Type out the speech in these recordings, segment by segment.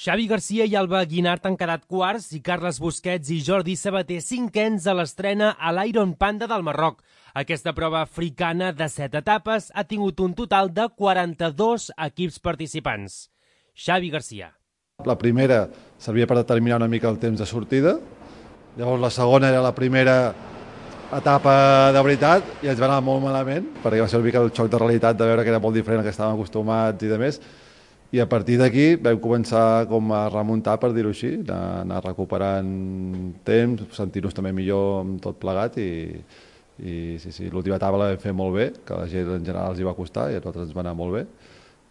Xavi Garcia i Alba Guinart han quedat quarts i Carles Busquets i Jordi Sabater cinquens a l'estrena a l'Iron Panda del Marroc. Aquesta prova africana de 7 etapes ha tingut un total de 42 equips participants. Xavi Garcia. La primera servia per determinar una mica el temps de sortida, llavors la segona era la primera etapa de veritat i ens va anar molt malament, perquè va ser una mica el xoc de realitat de veure que era molt diferent al que estàvem acostumats i de més. I a partir d'aquí vam començar com a remuntar, per dir-ho així, anar recuperant temps, sentir-nos també millor amb tot plegat i sí, l'última etapa la vam fer molt bé, que a la gent en general els hi va costar i a nosaltres ens va anar molt bé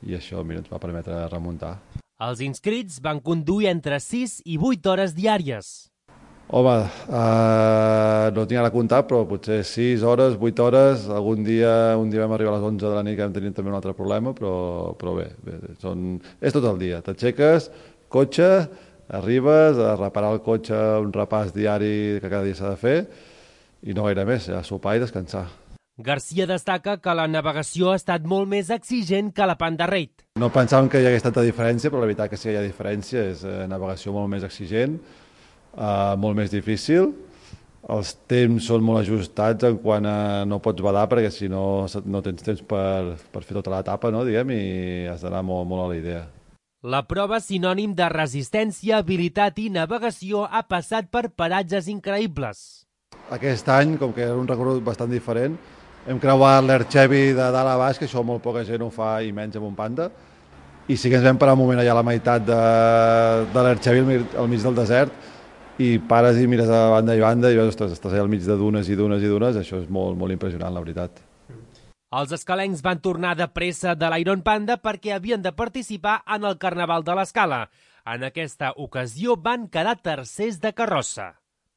i això ens va permetre remuntar. Els inscrits van conduir entre 6 i 8 hores diàries. Home, no tinc ara comptat, però potser 6 hores, 8 hores, un dia vam arribar a les 11 de la nit que vam tenir també un altre problema, però bé, és tot el dia. T'aixeques, cotxe, arribes a reparar el cotxe, un repàs diari que cada dia s'ha de fer i no gaire més, a sopar i descansar. Garcia destaca que la navegació ha estat molt més exigent que la Panda Raid. No pensàvem que hi hagués tanta diferència, però la veritat que sí que hi ha diferència, és navegació molt més exigent, molt més difícil. Els temps són molt ajustats en quant a no pots badar perquè si no tens temps per fer tota l'etapa, no, diguem, i has d'anar molt a la idea. La prova, sinònim de resistència, habilitat i navegació, ha passat per paratges increïbles. Aquest any, com que era un recorregut bastant diferent, hem creuat l'Erchevi de dalt a baix, que això molt poca gent ho fa i menys amb un Panda, i sí que ens vam parar un moment allà a la meitat de l'Erchevi, al mig del desert, i pares i mires a banda i banda i veus, ostres, estàs allà al mig de dunes i dunes i dunes, això és molt impressionant, la veritat. Els escalencs van tornar de pressa de l'Iron Panda perquè havien de participar en el Carnaval de l'Escala. En aquesta ocasió van quedar tercers de carrossa.